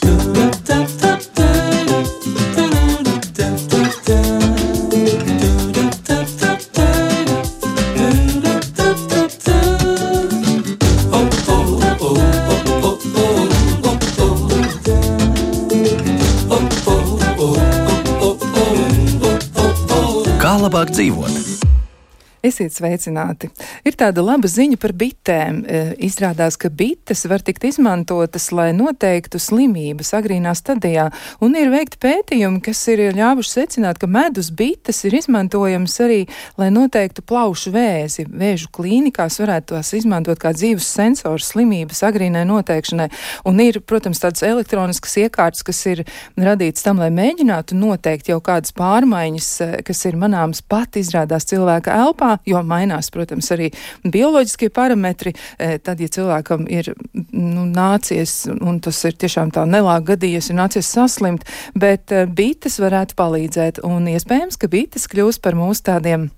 Kā labāk dzīvot? Esiet sveicināti. Ir tāda laba ziņa par bitēm. Izrādās, ka bites var tikt izmantotas, lai noteiktu slimības agrīnā stadijā. Un ir veikti pētījumi, kas ir ļāvuši secināt, ka medus bites ir izmantojams arī, lai noteiktu plaušu vēzi. Vēžu klīnikās varētu tās izmantot kā dzīves sensors slimības agrīnai noteikšanai. Un ir, protams, tādas elektroniskas iekārtas, kas ir radītas tam, lai mēģinātu noteikt jau kādas pārmaiņas, kas ir manāmas pat izrādās cilvēka elpā, jo mainās, protams, arī bioloģiskie parametri. Tad, ja cilvēkam ir nācies, un tas ir tiešām tā nelāga gadījies, ir nācies saslimt, bet bites varētu palīdzēt, un iespējams, ka bites kļūs par mūsu tādiem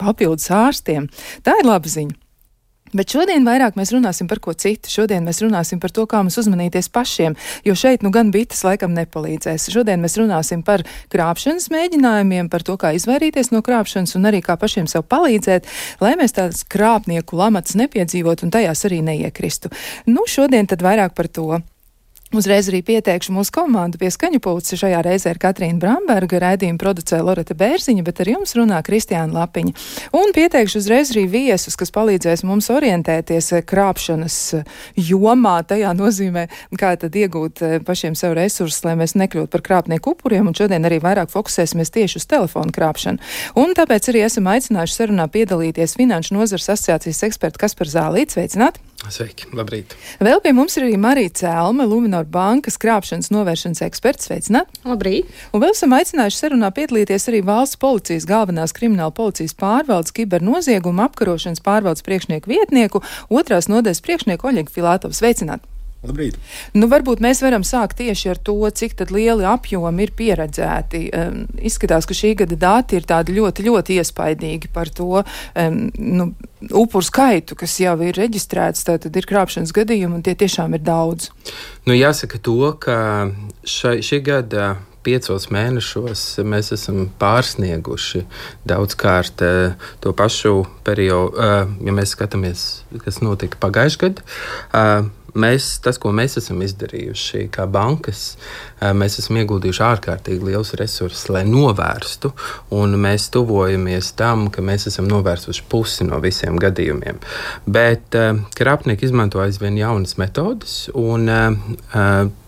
papildus ārstiem. Tā ir laba ziņa. Bet šodien vairāk mēs runāsim par ko citu. Šodien mēs runāsim par to, kā mums uzmanīties pašiem, jo šeit gan bites laikam nepalīdzēs. Šodien mēs runāsim par krāpšanas mēģinājumiem, par to, kā izvairīties no krāpšanas un arī kā pašiem sev palīdzēt, lai mēs tādas krāpnieku lamatas nepiedzīvot un tajās arī neiekristu. Šodien tad vairāk par to. Uzreiz arī pieteikšu mūsu komandu pie skaņu pulca. Šajā reizē ir Katrīna Bramberga, raidījuma producē Loreta Bērziņa, bet ar jums runā Kristiāna Lapiņa. Un pieteikšu uzreiz arī viesus, kas palīdzēs mums orientēties krāpšanas jomā, tajā nozīmē, kā tad iegūt pašiem sev resursus, lai mēs nekļūtu par krāpnieku upuriem, un šodien arī vairāk fokusēsimies tieši uz telefonu krāpšanu. Un tāpēc arī esam aicinājuši sarunā piedalīties Finanšu nozares asociācijas ekspertu Kasparu Zālīti. Sveicināti! Sveiki, labrīt! Vēl pie mums ir arī Marija Cēlme, Luminor bankas krāpšanas novēršanas eksperts. Sveicināti! Labrīt! Un vēl esam aicinājuši sarunā piedalīties arī valsts policijas galvenās krimināla policijas pārvaldes kibernozieguma apkarošanas pārvaldes priekšnieku vietnieku, 2. nodaļas priekšnieku Oļegu Filātovu. Sveicināti! Labrīt. Varbūt mēs varam sākt tieši ar to, cik tad lieli apjomi ir pieredzēti. Izskatās, ka šī gada dati ir tādi ļoti, ļoti iespaidīgi par to upuru skaitu, kas jau ir reģistrēts, tātad ir krāpšanas gadījumi, un tie tiešām ir daudz. Jāsaka to, ka šī gada 5 mēnešos mēs esam pārsnieguši daudzkārt to pašu periodu, ja mēs skatāmies, kas notika pagājušajā gadā. Tas, ko mēs esam izdarījuši kā bankas, mēs esam ieguldījuši ārkārtīgi liels resursus, lai novērstu, un mēs tuvojamies tam, ka mēs esam novērsuši pusi no visiem gadījumiem. Bet krāpnieki izmanto aizvien jaunas metodas, un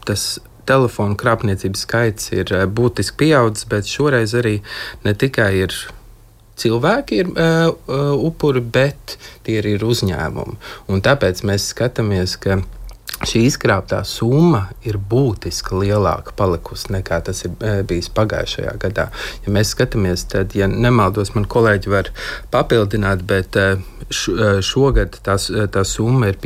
tas telefonu krāpniecības skaits ir būtiski pieaudzis, bet šoreiz arī ne tikai ir cilvēki ir upuri, bet tie ir uzņēmumi. Un tāpēc mēs skatāmies, ka šī izkrāptā summa ir būtiski lielāka palikusi nekā tas ir bijis pagājušajā gadā. Ja mēs skatāmies, tad, ja nemaldos, man kolēģi var papildināt, bet šogad tā summa ir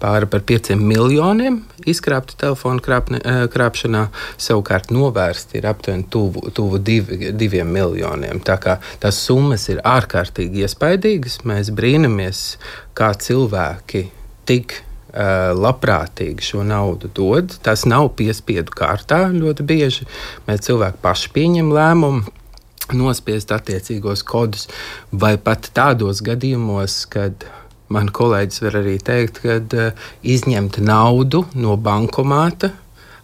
pāri par 5 miljoniem izkrāpti telefonu krāpšanā, savukārt novērsti ir aptuveni tuvu 2 miljoniem. Tā kā tās summas ir ārkārtīgi iespaidīgas, mēs brīnamies, kā cilvēki tik labprātīgi šo naudu dod. Tas nav piespiedu kārtā ļoti bieži. Mēs cilvēki paši pieņem lēmumu nospiest attiecīgos kodus, vai pat tādos gadījumos, kad man kolēģis var arī teikt, kad izņemt naudu no bankomāta,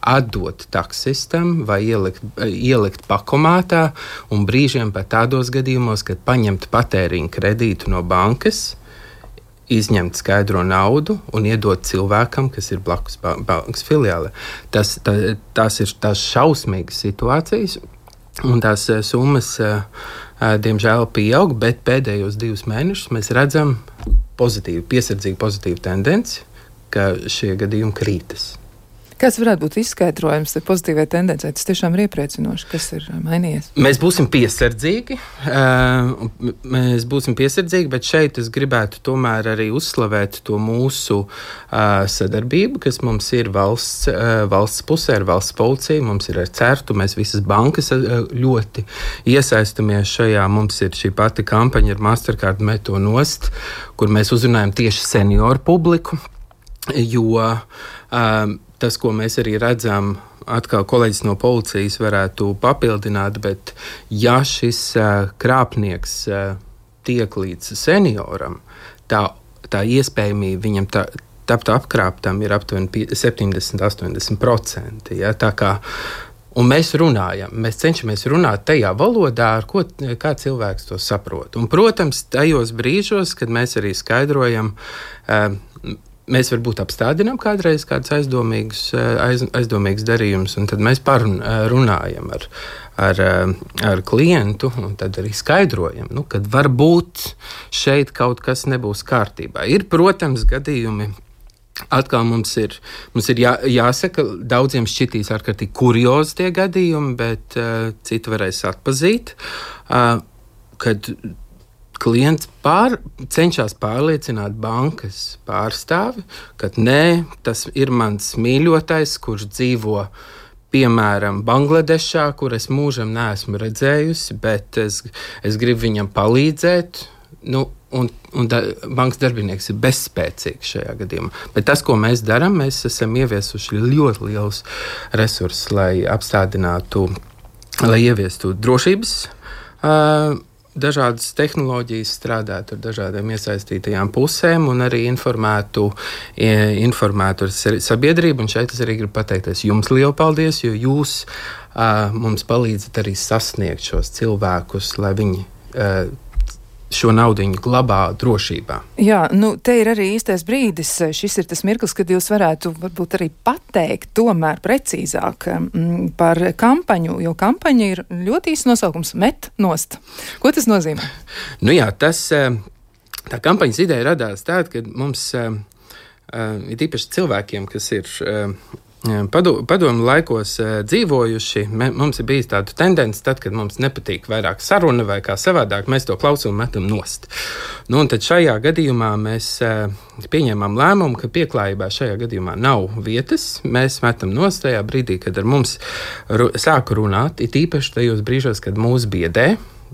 atdot taksistam vai ielikt pakomātā, un brīžiem pat tādos gadījumos, kad paņemt patēriņu kredītu no bankas, izņemt skaidro naudu un iedot cilvēkam, kas ir blakus bankas filiāle. Tās ir tās šausmīgas situācijas, un tās summas, diemžēl, pieaug, bet pēdējos 2 mēnešus mēs redzam piesardzīgu pozitīvu tendenci, ka šie gadījumi krītas. Kāds varētu būt izskaidrojums pozitīvai tendencei? Tas tiešām ir iepriecinoši, kas ir mainījies. Mēs būsim piesardzīgi, bet šeit es gribētu tomēr arī uzslavēt to mūsu sadarbību, kas mums ir valsts pusē ar valsts policiju, mums ir ar CERTU, mēs visas bankas ļoti iesaistamies šajā. Mums ir šī pati kampaņa ar Mastercard Meto nost, kur mēs uzrunājam tieši senioru publiku, jo tas, ko mēs arī redzam, atkal kolēģis no policijas varētu papildināt, bet ja šis krāpnieks tiek līdz senioram, tā iespējamība viņam tapt apkrāptam ir aptuveni 70–80%. Ja? Tā kā un mēs cenšamies runāt tajā valodā, kā cilvēks to saprot. Un, protams, tajos brīžos, kad mēs arī skaidrojam, mēs varbūt apstādinām kādreiz kādus aizdomīgus darījumus, un tad mēs runājam ar klientu, un tad arī skaidrojam, kad varbūt šeit kaut kas nebūs kārtībā. Ir, protams, gadījumi. Atkal mums ir jāsaka, daudziem šķitīs ārkārtīgi kuriozi tie gadījumi, bet citi varēs atpazīt, kad klients cenšas pārliecināt bankas pārstāvi, ka nē, tas ir mans mīļotais, kurš dzīvo piemēram Bangladešā, kur es mūžam neesmu redzējusi, bet es gribu viņam palīdzēt. Un bankas darbinieks ir bezspēcīgs šajā gadījumā. Bet tas, ko mēs darām, mēs esam ieviesuši ļoti lielus resursus, lai apstādinātu, lai ieviestu drošības, dažādas tehnoloģijas, strādātu ar dažādiem iesaistītajām pusēm un arī informētu sabiedrību. Un šeit es arī gribu pateikties jums lielu paldies, jo jūs mums palīdzat arī sasniegt šos cilvēkus, lai viņi šo naudiņu glabā drošībā. Jā, te ir arī īstais brīdis. Šis ir tas mirklis, kad jūs varētu varbūt arī pateikt tomēr precīzāk par kampaņu, jo kampaņa ir ļoti īsts nosaukums – Met nost. Ko tas nozīmē? Jā, tā kampaņas ideja radās tāda, ka mums ir īpaši cilvēkiem, kas ir padomu laikos dzīvojuši, mums ir bijis tāda tendence, tad, kad mums nepatīk vairāk saruna vai kā savādāk, mēs to klausulu metam nost. Un tad šajā gadījumā mēs pieņēmām lēmumu, ka pieklājībā šajā gadījumā nav vietas. Mēs metam nost tajā brīdī, kad ar mums sāku runāt, it īpaši tajos brīžos, kad mūs biedē,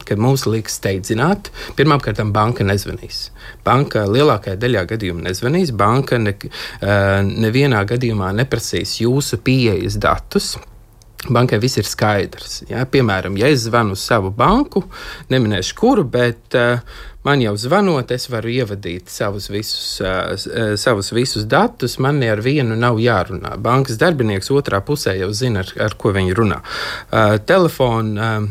kad mums liekas steidzināt. Pirmkārt, banka nezvanīs. Banka lielākajā daļā gadījumā nezvanīs. Banka nevienā gadījumā neprasīs jūsu pieejas datus. Bankai viss ir skaidrs. Ja? Piemēram, ja es zvanu uz savu banku, neminēšu kuru, bet man jau zvanot, es varu ievadīt savus visus datus, man ar vienu nav jārunā. Bankas darbinieks otrā pusē jau zina, ar ko viņi runā. Telefonu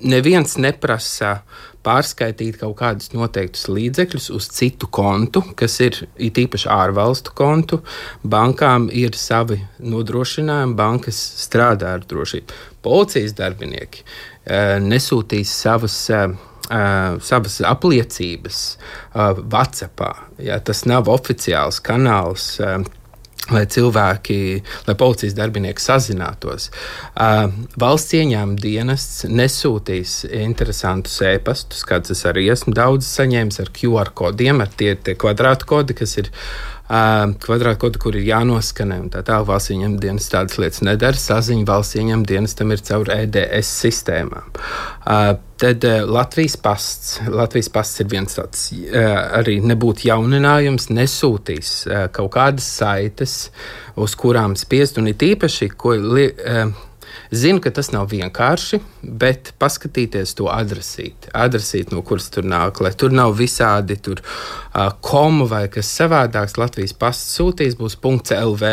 neviens neprasa pārskaitīt kaut kādus noteiktus līdzekļus uz citu kontu, kas ir īpaši ārvalstu kontu. Bankām ir savi nodrošinājumi, bankas strādā ar drošību. Policijas darbinieki nesūtīs savas apliecības WhatsAppā. Ja, tas nav oficiāls kanāls, lai policijas darbinieki sazinātos. Valsts ieņēmuma dienests nesūtīs interesantus e-pastus, kāds es arī esmu daudz saņēmis ar QR kodiem, ar tie kvadrātkodi, kas ir kvadrātkodi, kur ir jānoskanē, un tā tālāk valsts ieņēmuma dienests tādas lietas nedara. Saziņa valsts ieņēmuma dienestam ir caur EDS sistēmām. Tad Latvijas pasts ir viens tāds arī nebūtu jauninājums, nesūtīs kaut kādas saites, uz kurām spiest, un ir īpaši, zinu, ka tas nav vienkārši, bet paskatīties to adresīt, no kuras tur nāk, lai tur nav visādi komu vai kas savādāks. Latvijas pasts sūtīs, būs .lv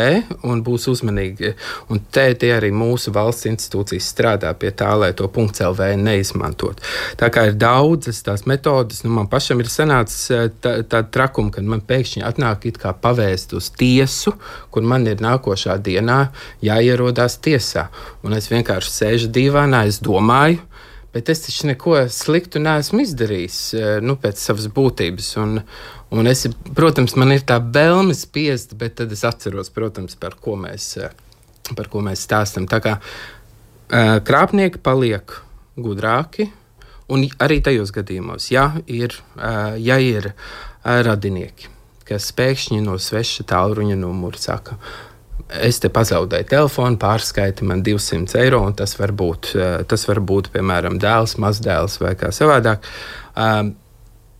un būs uzmanīgi. Un te arī mūsu valsts institūcijas strādā pie tā, lai to .lv neizmantot. Tā kā ir daudzas tās metodas, man pašam ir sanācis tāda trakuma, kad man pēkšņi atnāk it kā pavēst uz tiesu, kur man ir nākošā dienā jāierodās tiesā. Un es vienkārši sēžu dīvānā, es domāju, bet es taču neko sliktu neesmu izdarījis pēc savas būtības. Un es, protams, man ir tā vēlme spiest, bet tad es atceros, protams, par ko mēs stāstam. Tā kā krāpnieki paliek gudrāki, un arī tajos gadījumos, ja ir radinieki, kas pēkšņi no sveša tālruņa numura saka, es te pazaudēju telefonu, pārskaiti man 200 eiro, un tas var būt, piemēram, dēls, mazdēls vai kā savādāk.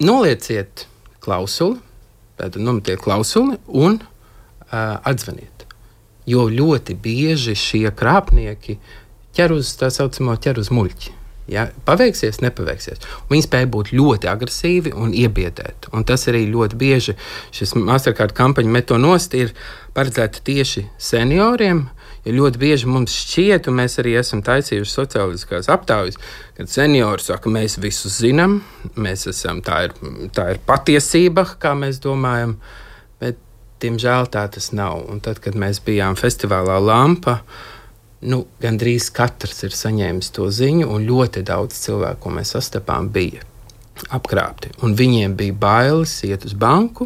Nolieciet klausuli, tātad nometiet klausuli un atzvaniet. jo ļoti bieži šie krāpnieki ķer uz muļķi. Ja? Paveiksies, nepaveiksies. Viņi spēja būt ļoti agresīvi un iebiedēt. Un tas arī ļoti bieži šis Mastercard kampaņa metonost ir paredzēta tieši senioriem, jo ļoti bieži mums šķiet, un mēs arī esam taisījuši sociāliskās aptaujas, kad seniori saka, mēs visu zinām, mēs esam, tā ir patiesība, kā mēs domājam, bet, diemžēl, tā tas nav. Un tad, kad mēs bijām festivālā Lampa, gandrīz katrs ir saņēmis to ziņu, un ļoti daudz cilvēku, ko mēs sastapām, bija apkrāpti. Un viņiem bija bailes iet uz banku,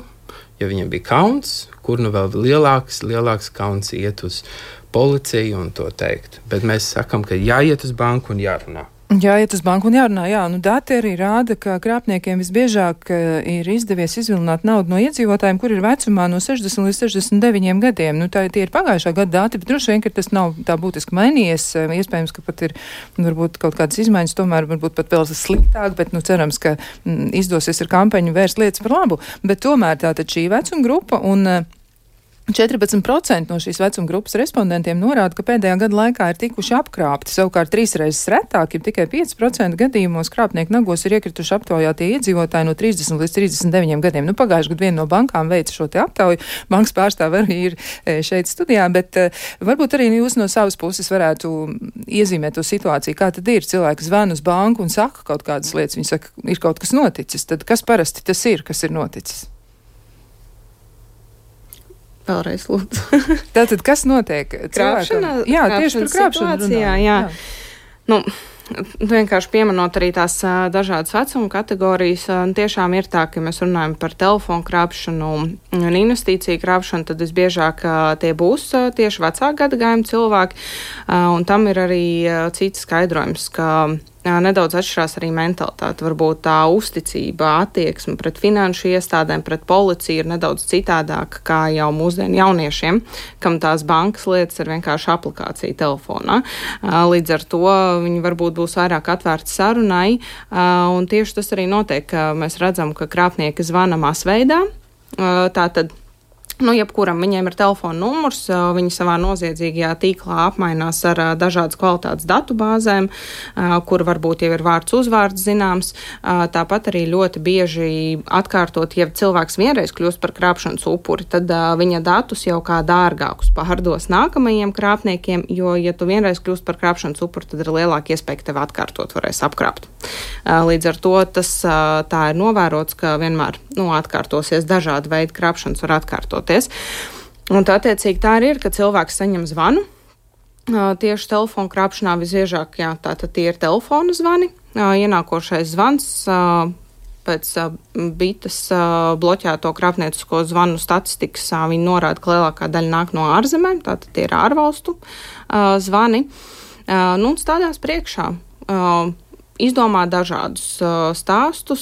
ja viņiem bija kauns, kur vēl lielāks kauns iet uz policiju un to teikt. Bet mēs sakam, ka jāiet uz banku un jārunā. Jāiet uz banku un jārunā, jā. Dati arī rāda, ka krāpniekiem visbiežāk ir izdevies izvilināt naudu no iedzīvotājiem, kur ir vecumā no 60 līdz 69 gadiem. Tie ir pagājušā gada dati, bet droši vien, ka tas nav tā būtiski mainījies. Iespējams, ka pat ir varbūt kaut kādas izmaiņas, tomēr varbūt pat vēl sliktāk, bet cerams, ka izdosies ar kampaņu vērst lietas par labu. Bet tomēr tātad šī vecuma grupa un 14% no šīs vecuma grupas respondentiem norāda, ka pēdējā gada laikā ir tikuši apkrāpti. Savukārt 3 reizes retāk, ja tikai 5% gadījumos krāpnieku nagos ir iekrituši aptaujātie iedzīvotāji no 30 līdz 39 gadiem. Pagājušajā gadā viena no bankām veica šo te aptauju. Bankas pārstāve arī ir šeit studijā, bet varbūt arī jūs no savas puses varētu iezīmēt to situāciju. Kā tad ir? Cilvēki zvan uz banku un saka kaut kādas lietas. Viņi saka, ir kaut kas noticis. Tad kas parasti tas ir, kas ir noticis? Vēlreiz lūdzu. Tātad, kas notiek? Krāpšana? Jā, tieši par krāpšanu runā. Jā. Vienkārši pieminot arī tās dažādas vecuma kategorijas, tiešām ir tā, ka mēs runājam par telefonu krāpšanu un investīciju krāpšanu, tad visbiežāk tie būs tieši vecāka gadagājuma cilvēki, un tam ir arī cits skaidrojums, ka nedaudz atšķirās arī mentalitāte. Varbūt tā uzticība, attieksme pret finanšu iestādēm, pret policiju ir nedaudz citādāka kā jau mūsdienu jauniešiem, kam tās bankas lietas ir vienkārši aplikācija telefonā. Līdz ar to viņi varbūt būs vairāk atvērti sarunai, un tieši tas arī notiek, ka mēs redzam, ka krāpnieki zvana masveidā. Tātad jebkuram viņiem ir telefona numurs, viņi savā noziedzīgajā tīklā apmainās ar dažādas kvalitātes datu bāzēm, kur varbūt jau ir vārds uzvārds zināms. Tāpat arī ļoti bieži atkārtot, ja cilvēks vienreiz kļūst par krāpšanas upuri, tad viņa datus jau kā dārgākus pārdos nākamajiem krāpniekiem, jo, ja tu vienreiz kļūst par krāpšanas upuri, tad ir lielāka iespēja, ka tev atkārtot varēs apkrāpt. Līdz ar to tas tā ir novērots, ka vienmēr atkārtosies dažādi veidi krāpšanas var atkārtot. Un tā attiecīgi tā arī ir, ka cilvēks saņem zvanu. Tieši telefonu krāpšanā visbiežāk, tātad tie ir telefona zvani. Ienākošais zvans pēc bites bloķēto krāpniecisko zvanu statistikas viņi norāda, ka lielākā daļa nāk no ārzemēm, tātad tie ir ārvalstu zvani. Un stādās priekšā. Izdomā dažādus stāstus,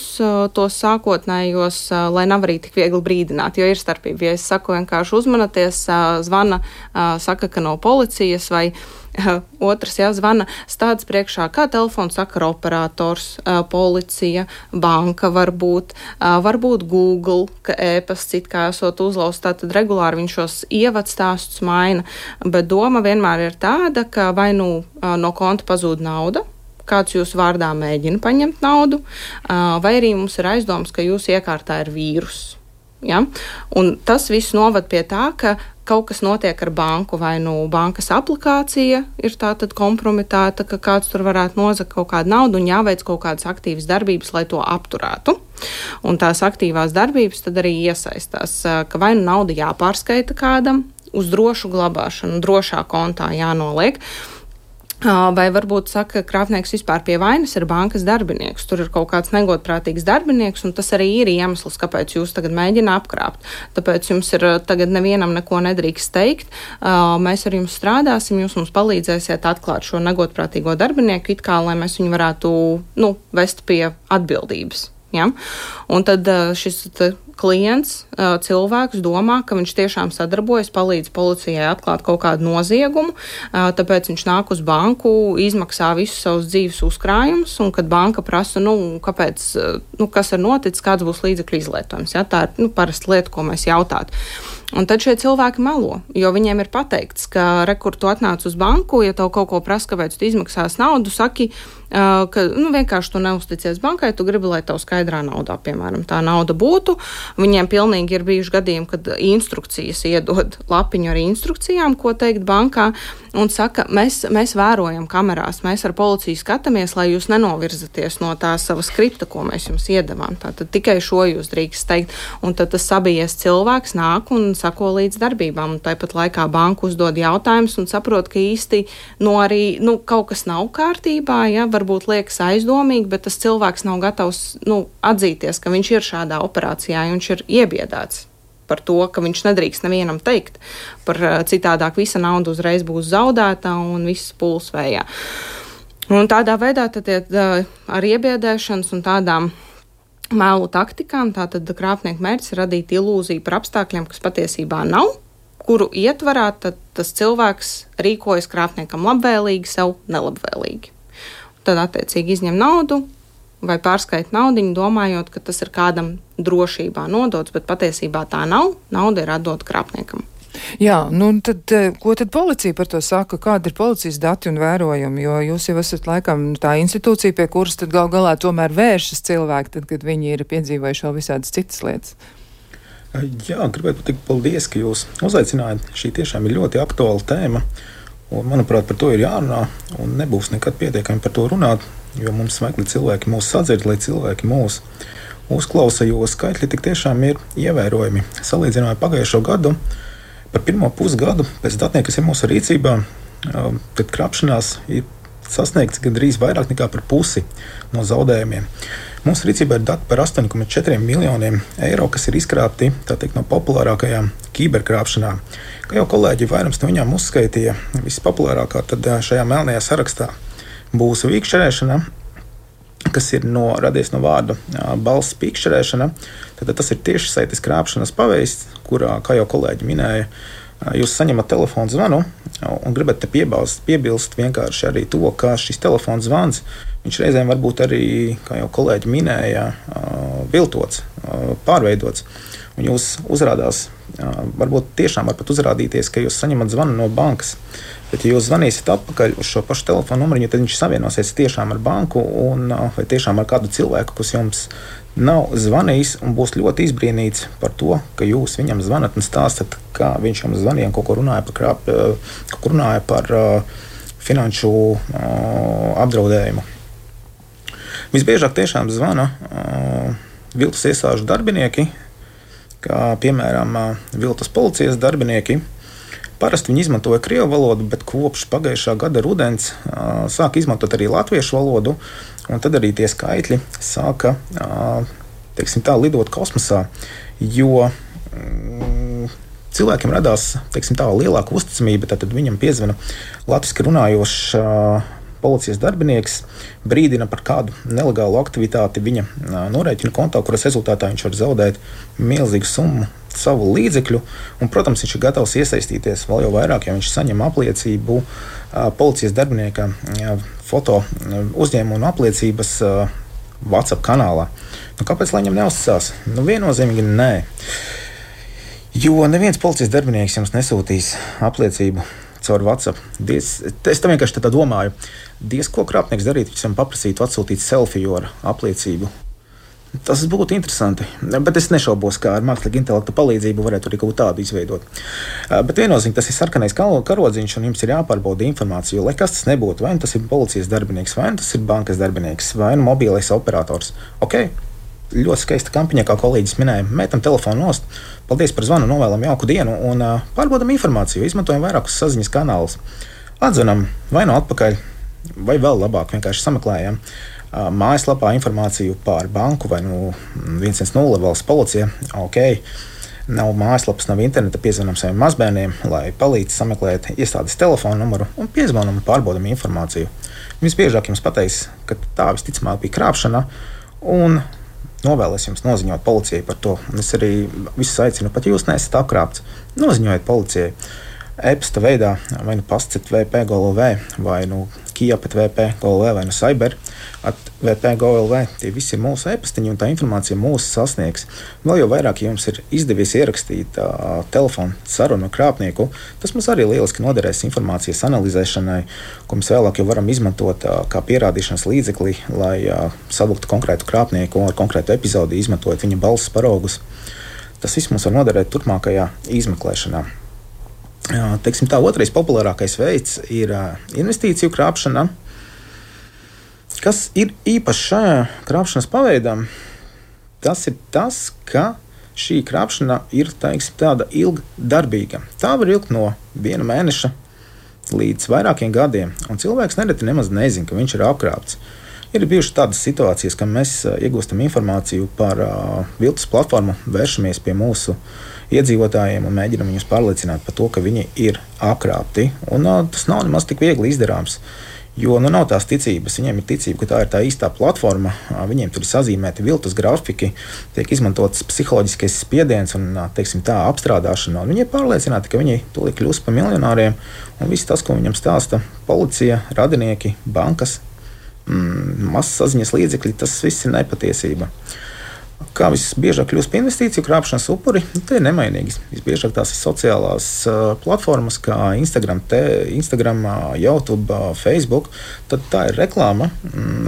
tos sākotnējos, lai nav arī tik viegli brīdināt, jo ir starpība. Ja es saku vienkārši uzmanieties, zvana, saka, ka no policijas, vai otrs zvana, stāds priekšā, kā telefons sakara operators, policija, banka varbūt Google, ka e-pasts it kā esot uzlausts, tātad regulāri viņš šos ievadstāstus maina, bet doma vienmēr ir tāda, ka vai no konta pazūd nauda, kāds jūsu vārdā mēģina paņemt naudu, vai arī mums ir aizdoms, ka jūsu iekārtā ir vīrus. Ja? Un tas viss novad pie tā, ka kaut kas notiek ar banku, vai bankas aplikācija ir tātad kompromitēta, ka kāds tur varētu nozagt kaut kādu naudu un jāveic kaut kādas aktīvas darbības, lai to apturētu. Un tās aktīvās darbības tad arī iesaistās, ka vai nauda jāpārskaita kādam uz drošu glabāšanu, drošā kontā jānoliek, vai varbūt saka, ka krāpnieks vispār pie vainas ir bankas darbinieks. Tur ir kaut kāds negodprātīgs darbinieks, un tas arī ir iemesls, kāpēc jūs tagad mēģina apkrāpt. Tāpēc jums ir tagad nevienam neko nedrīkst teikt. Mēs ar jums strādāsim, jūs mums palīdzēsiet atklāt šo negodprātīgo darbinieku, it kā, lai mēs viņu varētu vest pie atbildības. Ja? Un tad šis klients, cilvēks domā, ka viņš tiešām sadarbojas, palīdz policijai atklāt kaut kādu noziegumu, tāpēc viņš nāk uz banku, izmaksā visus savus dzīves uzkrājumus, un kad banka prasa, kāpēc, kas ir noticis, kāds būs līdzekļu izlietojums. Ja? Tā ir parasta lieta, ko mēs jautātu. Un tad šie cilvēki melo, jo viņiem ir pateikts, ka rekur tu atnāc uz banku, ja tev kaut ko prasa, kāpēc tu izmaksās naudu, saki, ka vienkārši tu neusticies bankai, tu gribi, lai tev skaidrā naudā, piemēram, tā nauda būtu. Viņiem pilnīgi ir bijuši gadījumi, kad instrukcijas iedod lapiņu ar instrukcijām, ko teikt bankā, un saka, mēs vērojam kamerās, mēs ar policiju skatāmies, lai jūs nenovirzaties no tā sava skripta, ko mēs jums iedavām. Tātad tikai šo jūs drīkst teikt, un tad tas sabijies cilvēks nāk un sako līdz darbībām, un tāpat laikā banka uzdod jautājumus un saprot, ka īsti arī kaut kas nav kārtībā, ja, varbūt liekas aizdomīgi, bet tas cilvēks nav gatavs atzīties, ka viņš ir šādā operācijā, un viņš ir iebiedēts par to, ka viņš nedrīkst nevienam teikt, par citādāk visa nauda uzreiz būs zaudēta un viss pūls vējā. Un tādā veidā tad ar iebiedēšanas un tādām mēlu taktikām, tātad krāpnieku mērķis ir radīt ilūziju par apstākļiem, kas patiesībā nav, kuru ietvarā tad tas cilvēks rīkojas krāpniekam labvēlīgi, sev nelabvēlīgi. Tad attiecīgi izņem naudu vai pārskait naudiņu, domājot, ka tas ir kādam drošībā nodots, bet patiesībā tā nav. Nauda ir atdota krāpniekam. Jā, tad ko tad policija par to saka? Kādi ir policijas dati un vērojumi? Jo jūs jau esat laikam tā institūcija, pie kuras tad gal galā tomēr vēršas cilvēki, tad, kad viņi ir piedzīvojuši vēl visādas citas lietas. Jā, gribētu pateikt paldies, ka jūs uzaicinājāt. Šī tiešām ir ļoti aktuāla tēma. Un, manuprāt, par to ir jārunā, un nebūs nekad pietiekami par to runāt, jo mums vajag, lai cilvēki mūs sadzird, lai cilvēki mūs uzklausa, jo skaitļi tik tiešām ir ievērojami. Salīdzinājumā pagājušo gadu, par pirmo pusgadu pēc datiem, kas ir mūsu rīcībā, tad krāpšanās ir sasniegts gandrīz vairāk nekā par pusi no zaudējumiem. Mūsu rīcībā ir dati par 8,4 miljoniem eiro, kas ir izkrāpti, tā teikt, no populārākajām kiberkrāpšanām. Kā jau kolēģi vairums no viņām uzskaitīja, vispopulārākā tad šajā melnajā sarakstā būs vīkšķerēšana, kas ir radies no vārda balss pīkšķerēšana. Tad tas ir tieši saites krāpšanas paveids, kurā, kā jau kolēģi minēja, jūs saņemat telefonu zvanu un gribat te piebilst vienkārši arī to, ka šis telefons zvans, viņš reizēm var būt arī, kā jau kolēģi minēja, viltots, pārveidots. Un jūs uzrādās, varbūt tiešām var pat uzrādīties, ka jūs saņemat zvanu no bankas. Bet, ja jūs zvanīsiet atpakaļ uz šo pašu telefonu numuriņu, tad viņš savienosies tiešām ar banku vai tiešām ar kādu cilvēku, kas jums nav zvanījis un būs ļoti izbrīnīts par to, ka jūs viņam zvanat un stāstat, kā viņš jums zvanīja un kaut ko runāja par finanšu apdraudējumu. Visbiežāk tiešām zvana viltus iestāžu darbinieki, kā piemēram viltus policijas darbinieki. Parasti viņi izmantoja krievu valodu, bet kopš pagājušā gada rudens sāka izmantot arī latviešu valodu, un tad arī tie skaitļi sāka, teiksim tā, lidot kosmosā, jo cilvēkiem radās, teiksim tā, lielāka uzticamība, tad viņam piezvana latviski runājošs policijas darbinieks, brīdina par kādu nelegālu aktivitāti viņa norēķina kontā, kuras rezultātā viņš var zaudēt milzīgu summu savu līdzekļu, un, protams, viņš ir gatavs iesaistīties vēl jau vairāk, ja viņš saņem apliecību policijas darbinieka foto uzņēmuma un apliecības WhatsApp kanālā. Kāpēc lai viņam neuzticās? Viennozīmīgi nē. Jo neviens policijas darbinieks jums nesūtīs apliecību caur WhatsApp. Es tam vienkārši tā domāju. Ko krāpnieks darītu, ja viņam paprasītu atsūtīt selfiju ar apliecību? Tas būtu interesanti, bet es nešaubos, kā ar mākslīgu intelektu palīdzību varētu arī kaut tādu izveidot. Bet viennozīmīgi tas ir sarkanais karodziņš, un jums ir jāpārbauda informācija, jo lai kas tas nebūtu, vai tas ir policijas darbinieks, vai tas ir bankas darbinieks, vai mobilais operators. Ok, ļoti skaista kampaņa, kā kolēģis minēja, metam telefonu nost, paldies par zvanu, novēlam jauku dienu un pārbaudam informāciju, izmantojam vairākus saziņas kanālus. Atzvanam vai no atpakaļ, vai vēl labāk vienkārši sameklējam mājaslapā informāciju par banku vai 110 valsts policija. Ok, nav mājaslapas, nav interneta, piezvanam saviem mazbērniem, lai palīdz sameklēt iestādes telefonu numuru un piezvanam un pārbaudam informāciju. Visbiežāk jums pateiks, ka tā visticamāk bija krāpšana un novēlēs jums noziņot policijai par to. Un es arī visus aicinu, pat jūs neesat apkrāpts, noziņojiet policijai. E-pasta veidā vai pastiet VP-GLV vai kia.vp.gov vai no cyber@vp.gov. Tie visi ir mūsu e-pastiņi, un tā informācija mūs sasniegs. Vēl jau vairāk, ja jums ir izdevies ierakstīt telefonu sarunu ar krāpnieku, tas mums arī lieliski noderēs informācijas analizēšanai, ko mēs vēlāk jau varam izmantot kā pierādīšanas līdzekli, lai savuktu konkrētu krāpnieku ar konkrētu epizodi, izmantojot viņa balss paraugus. Tas viss mums var noderēt turpmākajā izmeklēšanā. Teiksim tā, otrais populārākais veids ir investīciju krāpšana. Kas ir īpaši šajā krāpšanas paveidā? Tas ir tas, ka šī krāpšana ir, teiksim, tāda ilgdarbīga. Tā var ilgt no 1 mēneša līdz vairākiem gadiem, un cilvēks nereti nemaz nezina, ka viņš ir apkrāpts. Ir bijušas tādas situācijas, ka mēs iegūstam informāciju par viltus platformu, vēršamies pie mūsu iedzīvotājiem un mēģinam viņus pārliecināt par to, ka viņi ir apkrāpti. Un tas nav nemaz tik viegli izdarāms, jo nav tās ticības. Viņiem ir ticība, ka tā ir tā īstā platforma, viņiem tur ir sazīmēti viltus grafiki, tiek izmantots psiholoģiskais spiediens un, teiksim tā, apstrādāšana. Un viņi ir pārliecināti, ka viņi tūlīt kļūs par miljonāriem, un viss tas, ko viņam stāsta policija, radinieki, bankas, massaziņas līdzekļi, tas viss ir nepatiesība. Kā visbiežāk kļūst par investīciju krāpšanas upuri, tie ir nemainīgi. Visbiežāk tās ir sociālās platformas, kā Instagram, YouTube, Facebook. Tad tā ir reklāma,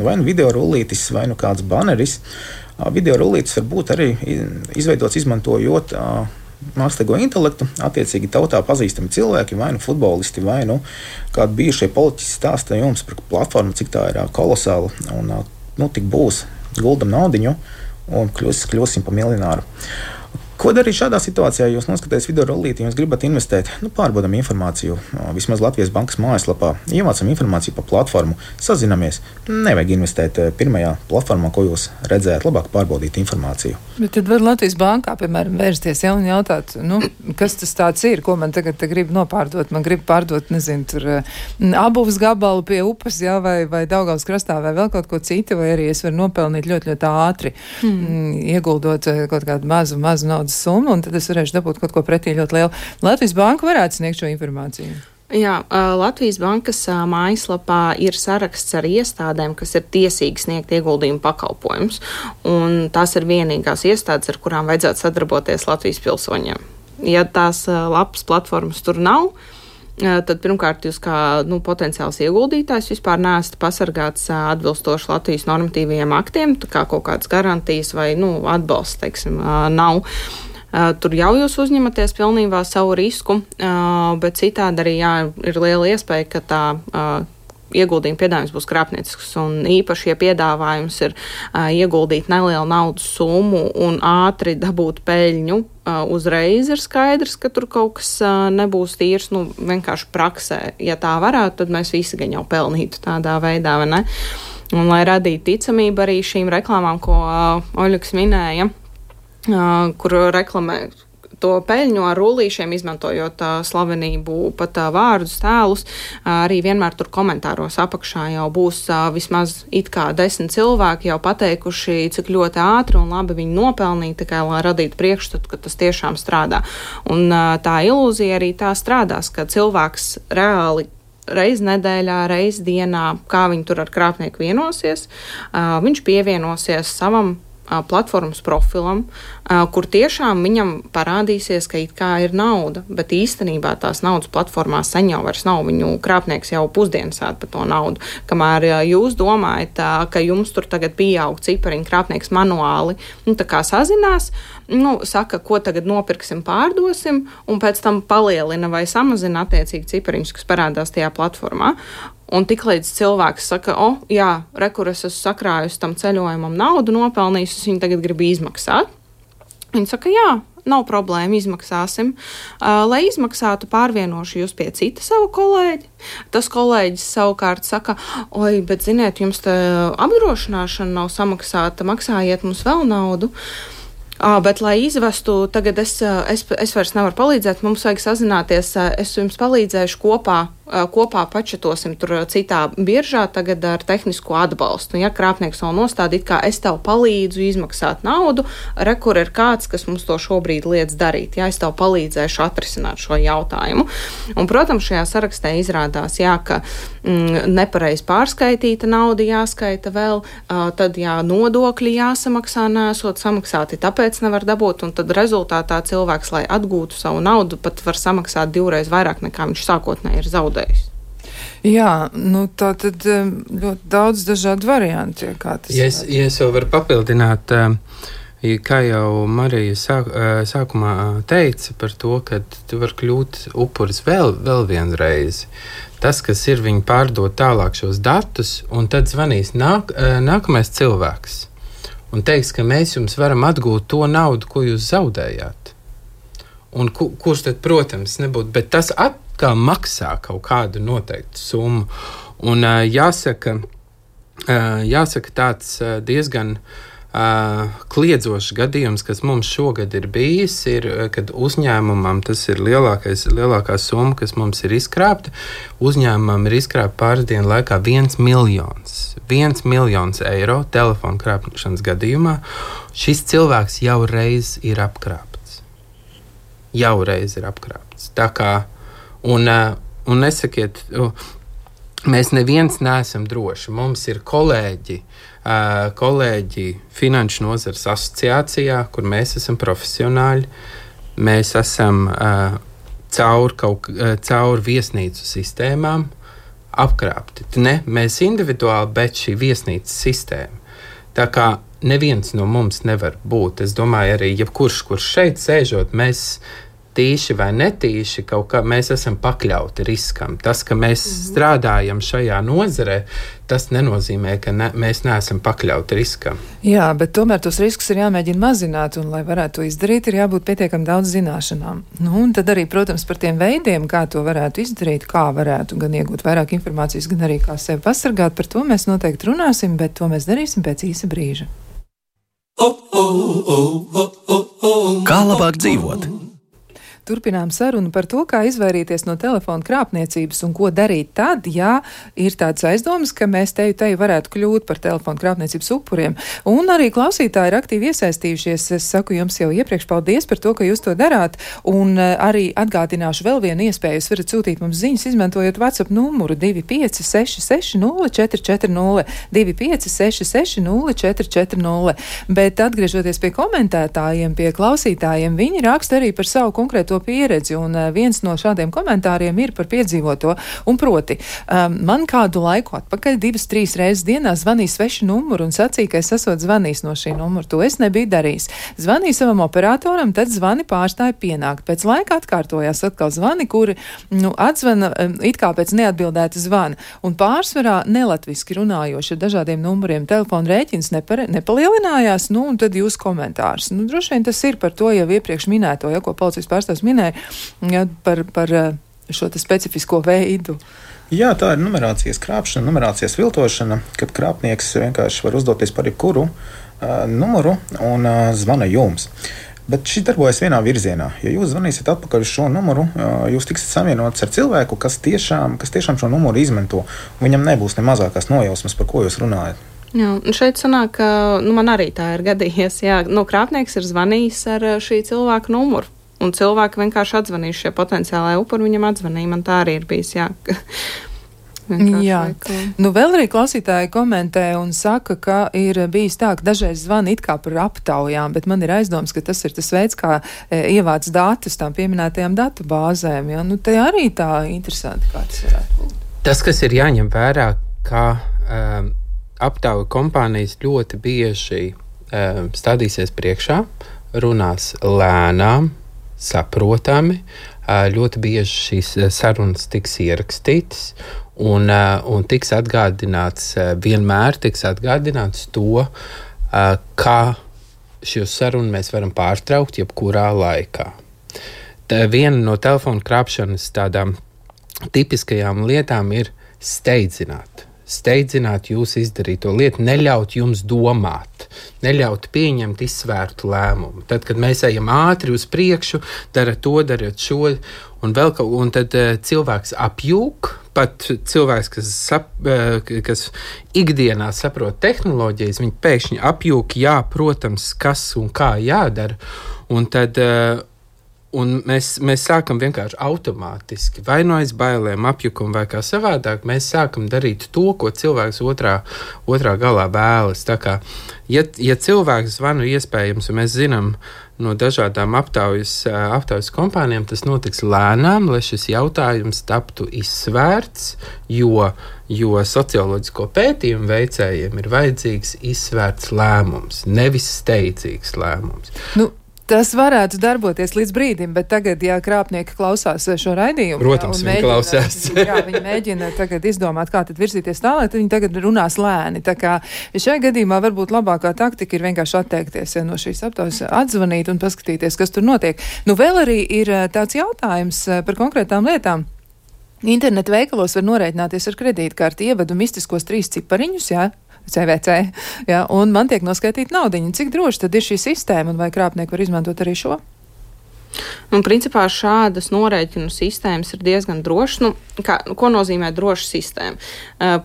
vai nu video rullītis, vai nu kāds baneris. Video rullītis var būt arī izveidots izmantojot mākslīgo intelektu, attiecīgi tautā pazīstami cilvēki, vai nu futbolisti, vai nu kādi bijušie politiķi stāsta jums par platformu, cik tā ir kolosāla, un tik būs, guldam naudiņu, un kļūsim par miljonāru. Ko darīt šādā situācijā? Jūs noskatāties video rullīti, jūs gribat investēt, pārbaudam informāciju, vismaz Latvijas bankas mājaslapā, ievācam informāciju par platformu, sazinamies. Nevajag investēt pirmajā platformā, ko jūs redzējāt, labāk pārbaudīt informāciju. Bet tad var Latvijas bankā, piemēram, vērsties un jautāt, kas tas tāds ir, ko man tagad grib nopārdot. Man grib pārdot, nezinu, tur abuvas gabalu pie upes, vai Daugavas krastā, vai vēl kaut ko citu, vai arī es varu nopelnīt ļoti, ļoti ātri, ieguldot kaut kādu mazu naudas summu, un tad es varēšu dabūt kaut ko pretī ļoti lielu. Latvijas banka varētu sniegt šo informāciju. Jā, Latvijas bankas mājaslapā ir saraksts ar iestādēm, kas ir tiesīgi sniegt ieguldījumu pakalpojumus, un tās ir vienīgās iestādes, ar kurām vajadzētu sadarboties Latvijas pilsoņiem. Ja tās lapas platformas tur nav, tad pirmkārt jūs kā potenciāls ieguldītājs vispār neesat pasargāts atbilstoši Latvijas normatīvajiem aktiem, tā kā kaut kādas garantijas vai atbalsts, teiksim, nav. Tur jau jūs uzņematies pilnībā savu risku, bet citādi arī ir liela iespēja, ka tā ieguldījuma piedāvājums būs krāpniecisks, un īpaši, ja piedāvājums ir ieguldīt nelielu naudas summu un ātri dabūt peļņu, uzreiz ir skaidrs, ka tur kaut kas nebūs tīrs, vienkārši praksē. Ja tā varētu, tad mēs visi gan jau pelnītu tādā veidā, vai ne? Un lai radītu ticamību arī šīm reklāmām, ko Oļuks minēja, kur reklamē to peļņu ar rullīšiem, izmantojot slavenību, pat vārdus, tēlus, arī vienmēr tur komentāros apakšā jau būs vismaz it kā 10 cilvēki jau pateikuši, cik ļoti ātri un labi viņi nopelnīja, tikai lai radītu priekšstatu, ka tas tiešām strādā. Un tā ilūzija arī tā strādās, ka cilvēks reāli reiz nedēļā, reiz dienā, kā viņi tur ar krāpnieku vienosies, viņš pievienosies savam platformas profilam, kur tiešām viņam parādīsies, ka it kā ir nauda, bet īstenībā tās naudas platformā sen jau vairs nav. Viņu krāpnieks jau pusdienas ēd par to naudu. Kamēr jūs domājat, ka jums tur tagad pieaug cipariņu, krāpnieks manuāli, tā kā sazinās, saka, ko tagad nopirksim, pārdosim, un pēc tam palielina vai samazina attiecīgi cipariņus, kas parādās tajā platformā. Un tiklīdz cilvēks saka, kur es esmu sakrājusi tam ceļojumam naudu, nopelnījusi, es viņu tagad gribu izmaksāt. Viņi saka, jā, nav problēma, izmaksāsim. Lai izmaksātu, pārvienošu jūs pie cita savu kolēģi. Tas kolēģis savukārt saka, bet ziniet, jums te apdrošināšana nav samaksāta, maksājiet mums vēl naudu. Bet, lai izvestu, tagad es vairs nevaru palīdzēt, mums vajag sazināties, es jums palīdzēšu kopā kopā pačetosim tur citā biržā tagad ar tehnisko atbalstu. Ja krāpnieks vēl nostāda, it kā es tev palīdzu izmaksāt naudu, kur ir kāds, kas mums to šobrīd liedz darīt. Ja es tev palīdzēšu atrisināt šo jautājumu. Un, protams, šajā sarakstā izrādās, ka nepareiz pārskaitīta nauda jāskaita vēl, tad nodokļi jāsamaksā, nesot samaksāti, tāpēc nevar dabūt, un tad rezultātā cilvēks, lai atgūtu savu naudu, pat var samaksāt 2 reizes vairāk nekā viņš sākotnēji ir zaudējis. Jā, tā tad ļoti daudz dažādu variantu, kā tas ja es vēl varu papildināt, kā jau Marija sākumā teica par to, ka tu var kļūt upuris vēl vienreiz. Tas, kas ir, viņi pārdod tālāk šos datus, un tad zvanīs nākamais cilvēks un teiks, ka mēs jums varam atgūt to naudu, ko jūs zaudējāt. Un kurš tad, protams, nebūtu, bet tas atkal maksā kaut kādu noteiktu summu. Un jāsaka tāds diezgan kliedzošs gadījums, kas mums šogad ir bijis, ir, kad uzņēmumam tas ir lielākā summa, kas mums ir izkrāpta. Uzņēmumam ir izkrāpta pāris dienu laikā 1 miljons. 1 miljons eiro telefonu krāpšanas gadījumā. Šis cilvēks jau reiz ir apkrāpts. Tā kā, un nesakiet, mēs neviens neesam droši. Mums ir kolēģi Finanšu nozares asociācijā, kur mēs esam profesionāļi. Mēs esam caur viesnīcu sistēmām apkrāpti. Ne mēs individuāli, bet šī viesnīcas sistēma. Tā kā neviens no mums nevar būt. Es domāju, arī jebkurš, kurš šeit sēžot, mēs tīši vai netīši mēs esam pakļauti riskam. Tas, ka mēs strādājam šajā nozarē, tas nenozīmē, ka mēs neesam pakļauti riskam. Jā, bet tomēr tos riskus ir jāmēģina mazināt, un, lai varētu to izdarīt, ir jābūt pietiekami daudz zināšanām. Un tad arī, protams, par tiem veidiem, kā to varētu izdarīt, kā varētu gan iegūt vairāk informācijas, gan arī kā sevi pasargāt, par to mēs noteikti runāsim, bet to mēs darīsim pēc īsa brīža. Kā labāk dzīvot? Turpinām sarunu par to, kā izvairīties no telefona krāpniecības un ko darīt tad, ja ir tāds aizdomas, ka mēs teju varētu kļūt par telefona krāpniecības upuriem. Un arī klausītāji ir aktīvi iesaistījušies. Es saku jums jau iepriekš paldies par to, ka jūs to darāt. Un arī atgādināšu vēl vienu iespēju. Jūs varat sūtīt mums ziņas, izmantojot WhatsApp numuru 2566 0440 2566 0440. Bet atgriežoties pie komentētājiem, pie klausītājiem, viņi raksta arī par savu konkrēto pieredzi, un viens no šādiem komentāriem ir par piedzīvoto, un proti, man kādu laiku atpakaļ 2-3 reizes dienā zvanīja svešu numuru un sacīja, ka es esot zvanījis no šī numura. To es nebiju darījis. Zvanīju savam operatoram, tad zvani pārstāja pienākt. Pēc laika atkārtojās atkal zvani, kuri atzvana it kā pēc neatbildēta zvana, un pārsvarā nelatviski runājoši ar dažādiem numuriem. Telefona rēķins nepalielinājās, un tad jūs komentārs. Droši vien tas ir par to jau iepriekš minēto, ko policijas pārstāvs minēja par šo specifisko veidu. Jā, tā ir numerācijas krāpšana, numerācijas viltošana, kad krāpnieks vienkārši var uzdoties par jebkuru numuru un zvana jums. Bet šis darbojas vienā virzienā. Ja jūs zvanīsiet atpakaļ uz šo numuru, jūs tiksiet savienots ar cilvēku, kas tiešām šo numuru izmanto. Viņam nebūs ne mazākās nojausmas, par ko jūs runājat. Jā, un šeit sanāk, ka man arī tā ir gadījies. Jā, krāpnieks ir zvanījis ar šī cilvēka numuru. Un cilvēki vienkārši atzvanījuši šie potenciālai upuri, viņam atzvanīja. Man tā arī ir bijis, jā. Jā, vēl arī klausītāji komentē un saka, ka ir bijis tā, ka dažreiz zvana it kā par aptaujām, bet man ir aizdoms, ka tas ir tas veids, kā ievāc datus tām pieminētajām datu bāzēm. Ja? Te arī tā interesanti, kā tas varētu būt. Tas, kas ir jāņem vērā, ka aptauju kompānijas ļoti bieži stādīsies priekšā, runās lēnām, saprotami, ļoti bieži šīs sarunas tiks ierakstītas un tiks atgādināts, vienmēr tiks atgādināts to, kā šo sarunu mēs varam pārtraukt jebkurā laikā. Viena no telefona krāpšanas tādām tipiskajām lietām ir steidzināt. Steidzināt jūs izdarīto lietu, neļaut jums domāt, neļaut pieņemt izsvērtu lēmumu. Tad, kad mēs ejam ātri uz priekšu, darat to, darat šo, un tad cilvēks apjūk, pat cilvēks, kas ikdienā saprot tehnoloģijas, viņi pēkšņi apjūk, jā, protams, kas un kā jādara, un tad un mēs sākam vienkārši automātiski, vai no aiz bailēm, apjukumu vai kā savādāk, mēs sākam darīt to, ko cilvēks otrā galā vēlas. Tā kā, ja cilvēks zvanu iespējams, un mēs zinām no dažādām aptaujas kompānijām, tas notiks lēnām, lai šis jautājums taptu izsvērts, jo socioloģisko pētījumu veicējiem ir vajadzīgs izsvērts lēmums, nevis steidzīgs lēmums. Tas varētu darboties līdz brīdim, bet tagad, ja krāpnieki klausās šo raidījumu, protams, viņi klausās. Viņi mēģina tagad izdomāt, kā tad virzīties tālāk, tad viņi tagad runās lēni. Tā kā šajā gadījumā varbūt labākā taktika ir vienkārši atteikties no šīs aptaujas, atzvanīt un paskatīties, kas tur notiek. Vēl arī ir tāds jautājums par konkrētām lietām. Internetu veikalos var norēķināties ar kredītkarti, ievedu mistiskos 3 cipariņus, jā, CVC, jā, un man tiek noskaitīta naudiņa. Cik droši tad ir šī sistēma, un vai krāpnieki var izmantot arī šo? Principā šādas norēķinu sistēmas ir diezgan drošas. Ko nozīmē droša sistēma?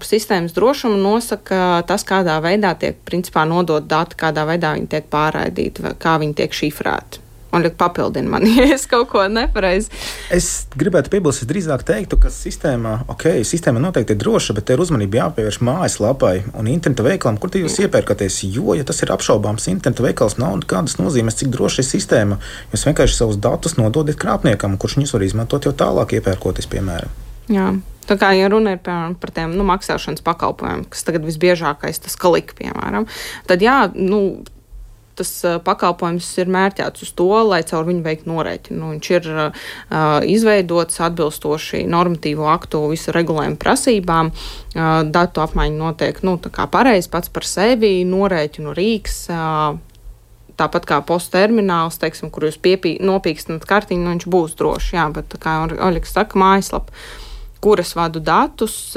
Sistēmas drošumu nosaka tas, kādā veidā tiek principā nodot dati, kādā veidā viņi tiek pārraidīti, kā viņi tiek šifrēti. Un papildina man, ja es kaut ko nepareizi. Es gribētu piebilst, es drīzāk teiktu, ka sistēma noteikti ir droša, bet te ir uzmanība jāpievērš mājaslapai un interneta veikalam, kur jūs iepērkaties. Jo, ja tas ir apšaubāms interneta veikals, nav nekādas nozīmes, cik droša ir sistēma. Jūs vienkārši savus datus nododiet krāpniekam, kurš viņus var izmantot jau tālāk iepērkoties, piemēram. Jā. Tā kā, ja runa ir par tiem maksāšanas pakalpojumiem, kas tagad visbiežākais, tas Kalika, piemēram, tad tas pakalpojums ir mērķēts uz to, lai caur viņu veikt norēķinu. Viņš ir izveidots atbilstoši normatīvo aktu visu regulējumu prasībām. Datu apmaiņa notiek tā kā pareizi pats par sevi, norēķinu rīks, tāpat kā posta termināls, teiksim, kur jūs nopīkstināt kartiņu, viņš būs droši. Jā, bet kā Oļegs saka, mājaslapa, kuras vadu datus,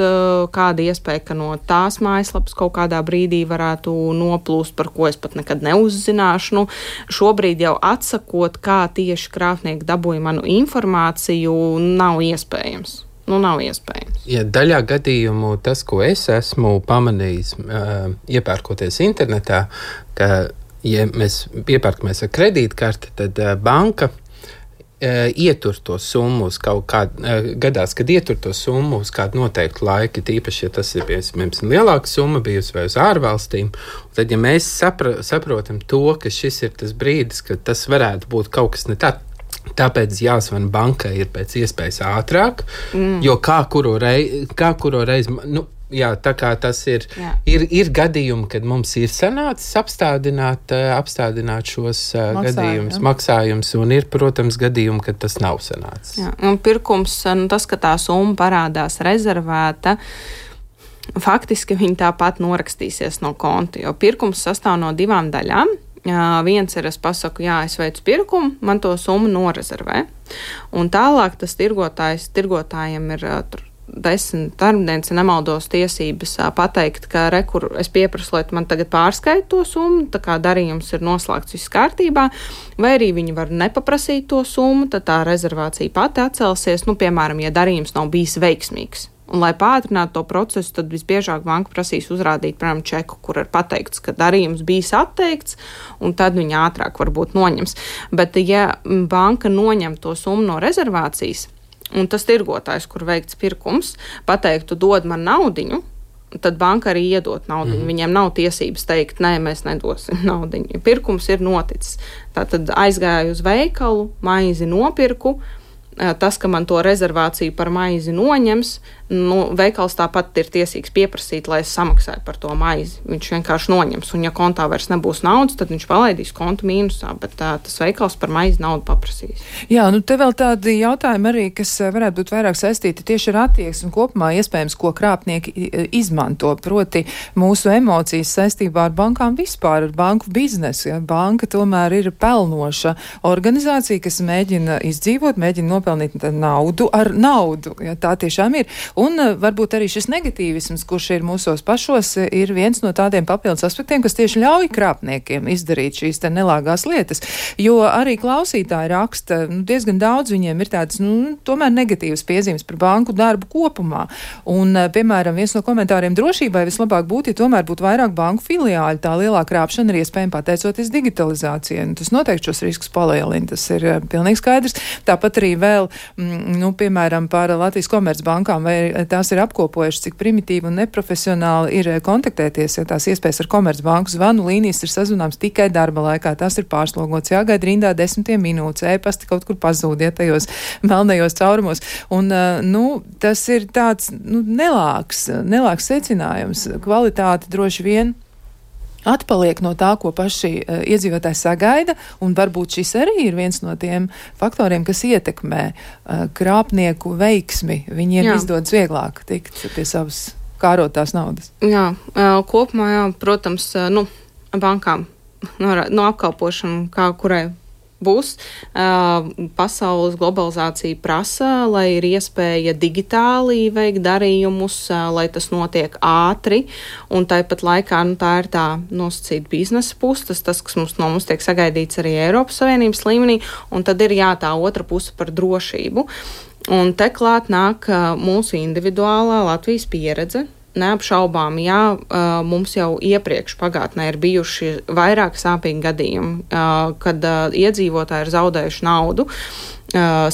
kāda iespēja, ka no tās mājaslapas kaut kādā brīdī varētu noplūst, par ko es pat nekad neuzzināšu. Šobrīd jau atsakot, kā tieši krāpnieki dabūja manu informāciju, nav iespējams. Nav iespējams. Ja daļā gadījumu tas, ko es esmu pamanījis, iepērkoties internetā, ka, ja mēs iepērkamies ar kredītkarti, tad banka ietur to summu uz kaut kādu, gadās, kad ietur to summu uz kādu noteiktu laiku, tīpaši, ja tas ir, piemēram, lielāka summa bijusi vai uz ārvalstīm, tad, ja mēs saprotam to, ka šis ir tas brīdis, ka tas varētu būt kaut kas ne tā, tāpēc jāzvana bankai ir pēc iespējas ātrāk, jo kā kuru reizi, jā, tā kā tas ir gadījumi, kad mums ir sanācis apstādināt šos gadījumus, maksājumus, un ir, protams, gadījumi, kad tas nav sanācis. Jā, un pirkums, tas, ka tā summa parādās rezervēta, faktiski viņi tāpat norakstīsies no konta, jo pirkums sastāv no 2 daļām. Viens ir, es pasaku, jā, es veicu pirkumu, man to summu norezervē, un tālāk tas tirgotājiem ir 10 darbdienas, ja nemaldos, tiesības pateikt, ka es pieprasu, lai man tagad pārskaita to summu, tā kā darījums ir noslēgts viss kārtībā, vai arī viņi var nepaprasīt to summu, tad tā rezervācija pati atcelsies, piemēram, ja darījums nav bijis veiksmīgs. Un, lai pātrinātu to procesu, tad visbiežāk banka prasīs uzrādīt, piemēram, čeku, kur ir pateikts, ka darījums bijis atteikts, un tad viņi ātrāk varbūt noņems. Bet, ja banka noņem to summu no rezervācijas, un tas tirgotājs, kur veikts pirkums, pateiktu, dod man naudiņu, tad banka arī iedot naudiņu. Viņiem nav tiesības teikt, nē, mēs nedosim naudiņu. Pirkums ir noticis. Tātad aizgāju uz veikalu, maizi nopirku. Tas, ka man to rezervāciju par maizi noņems, veikals tāpat ir tiesīgs pieprasīt, lai es samaksāju par to maizi. Viņš vienkārši noņems, un ja kontā vairs nebūs naudas, tad viņš palaidīs kontu mīnusā, bet tas veikals par maizi naudu paprasīs. Jā, te vēl tādi jautājumi arī, kas varētu būt vairāk saistīti tieši ar attieksmi kopumā, iespējams, ko krāpnieki izmanto, proti mūsu emocijas saistībā ar bankām vispār, ar banku biznesu. Ja? Banka tomēr ir pelnoša organizācija, kas mēģina izdzīvot, mēģina nopelnīt naudu ar naudu. Ja? Tā tiešām ir. Un varbūt arī šis negatīvisms, kurš ir mūsos pašos, ir viens no tādiem papildus aspektiem, kas tieši ļauj krāpniekiem izdarīt šīs te nelāgās lietas. Jo arī klausītāji raksta, diezgan daudz viņiem ir tādas, tomēr negatīvas piezīmes par banku darbu kopumā. Un, piemēram, viens no komentāriem drošībai vislabāk būtu, ja tomēr būtu vairāk banku filiāļu. Tā lielā krāpšana ir iespējama pateicoties digitalizācijai. Tas noteikti šos riskus palielina, tas ir pilnīgi skaidrs. Tāpat arī vēl, piemēram, par Latvijas Komercbankām, vai tās ir apkopojušas, cik primitīvi un neprofesionāli ir kontaktēties, ja tās iespējas ar Komercbanku zvanu līnijas ir sazvanāms tikai darba laikā. Tas ir pārslogots, jāgaida rindā 10 minūtes, e-pasti kaut kur pazūd, ja tajos melnajos caurumos. Un, tas ir tāds, nelāks secinājums. Kvalitāte droši vien atpaliek no tā, ko paši iedzīvotāji sagaida, un varbūt šis arī ir viens no tiem faktoriem, kas ietekmē krāpnieku veiksmi. Viņiem izdodas vieglāk tikt pie savas kārotās naudas. Jā, kopumā, protams, bankām no apkalpošana, kā kurai būs. Pasaules globalizācija prasa, lai ir iespēja digitāli veikt darījumus, lai tas notiek ātri, un tāpat laikā tā ir tā nosacīta biznesa puse, tas, kas no mums tiek sagaidīts arī Eiropas Savienības līmenī, un tad ir tā otra puse par drošību. Un te klāt nāk mūsu individuālā Latvijas pieredze. Neapšaubām, mums jau iepriekš pagātnē ir bijuši vairāk sāpīgi gadījumi, kad iedzīvotāji ir zaudējuši naudu